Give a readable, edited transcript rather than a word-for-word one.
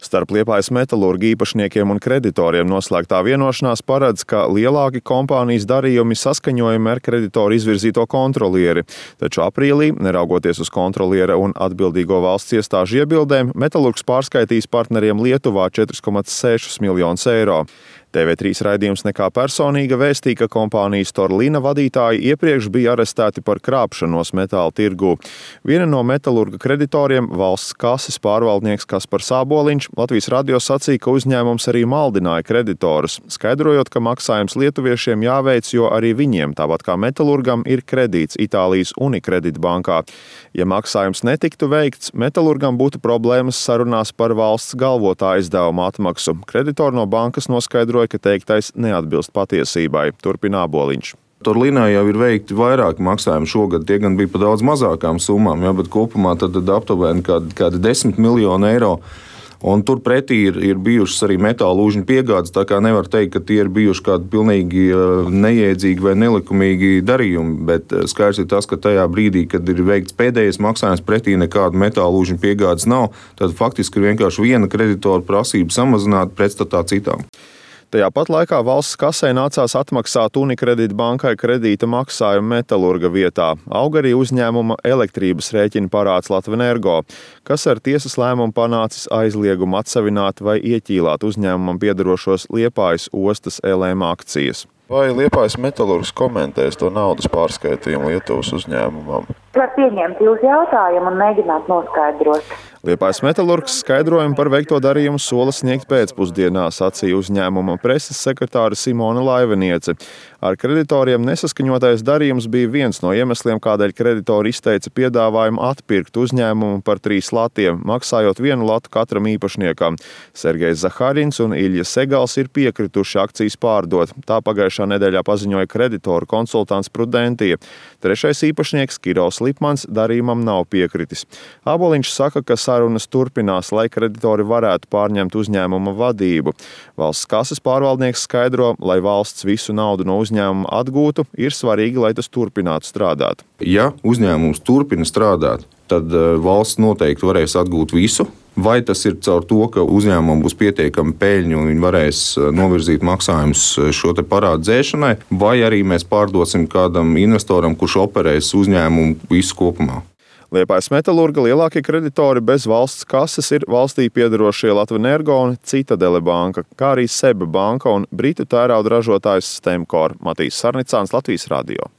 Starp Liepājas metalurga īpašniekiem un kreditoriem noslēgtā vienošanās paredz, ka lielāki kompānijas darījumi saskaņojami ar kreditoru izvirzīto kontrolieri. Taču aprīlī, neraugoties uz kontroliera un atbildīgo valsts iestāžu iebildēm, metalurgs pārskaitīs partneriem Lietuvā 4,6 miljonus eiro. TV3 raidījums Nekā personīga vēstīja, ka kompānijas Torlina vadītāji iepriekš bija arestēti par krāpšanos metāla tirgū. Viena no metalurga kreditoriem, valsts kases pārvaldnieks Kaspars Āboliņš, Latvijas radio sacīja, ka uzņēmums arī maldināja kreditorus, skaidrojot, ka maksājums lietuviešiem jāveic, jo arī viņiem, tāpat kā metalurgam, ir kredīts Itālijas Unicredit bankā. Ja maksājums netiktu veikts, metalurgam būtu problēmas sarunās par valsts galvotā izdevuma atmaksu. Kreditori no bankas noskaidroja, ka teiktais neatbilst patiesībai, turpina Āboliņš. Torlinā jau ir veikti vairāki maksājumi šogad, tie gan bija par daudz mazākām summām, bet kopumā tad aptuveni kādi 10 miljoni eiro. Un turpretī ir bijušas arī metāla lūžņu piegādes, tā kā nevar teikt, ka tie ir bijuši kādi pilnīgi neiedzīgi vai nelikumīgi darījumi, bet skaidrs ir tas, ka tajā brīdī, kad ir veikts pēdējais maksājums pretī nekāda metāla lūžņu piegādes nav, tad faktiski ir vienkārši viena kreditora prasība samazināt pretstatā citām. Tajā pat laikā valsts kasē nācās atmaksāt Unicredit bankai kredīta maksājumu metalurga vietā. Auga arī uzņēmuma elektrības rēķina parāds Latvenergo, kas ar tiesas lēmumu panācis aizliegumu atsevināt vai ieķīlāt uzņēmumam piederošos Liepājas ostas LM akcijas. Vai Liepājas metalurgs komentēs to naudas pārskaitījumu Lietuvas uzņēmumam? Var pieņemt jūsu jautājumu un mēģināt noskaidrot. Liepājas metalurgs skaidrojumu par veikto darījumu sola sniegt pēcpusdienā, sacīja uzņēmuma preses sekretāre Simona Laiveniece. Ar kreditoriem nesaskaņotais darījums bija viens no iemesliem, kādēļ kreditori izteica piedāvājumu atpirkt uzņēmumu par 3 latiem, maksājot 1 latu katram īpašniekam. Sergejs Zaharins un Ilja Segals ir piekrituši akcijas pārdot. Tā pagājušā nedēļā paziņoja kreditoru konsultants Prudentija. Trešais īpašnieks Kirovs Lipmans darījumam nav piekritis. Āboliņš saka, ka sarunas turpinās, lai kreditori varētu pārņemt uzņēmuma vadību. Valsts kases pārvaldnieks skaidro, lai valsts visu naudu no uzņēmuma atgūtu, ir svarīgi, lai tas turpinātu strādāt. Ja uzņēmums turpina strādāt, tad valsts noteikti varēs atgūt visu. Vai tas ir caur to, ka uzņēmumam būs pietiekami peļņa un viņi varēs novirzīt maksājumus šo te parādu dzēšanai, vai arī mēs pārdosim kādam investoram, kurš operēs uzņēmumu visu kopumā. Liepājas metalurga lielākie kreditori bez valsts kases ir valstī piederošie Latvenergo un Citadele banka, kā arī Seba banka un britu tērauda ražotājs Stemcor. Matīs Sarnicāns, Latvijas radio.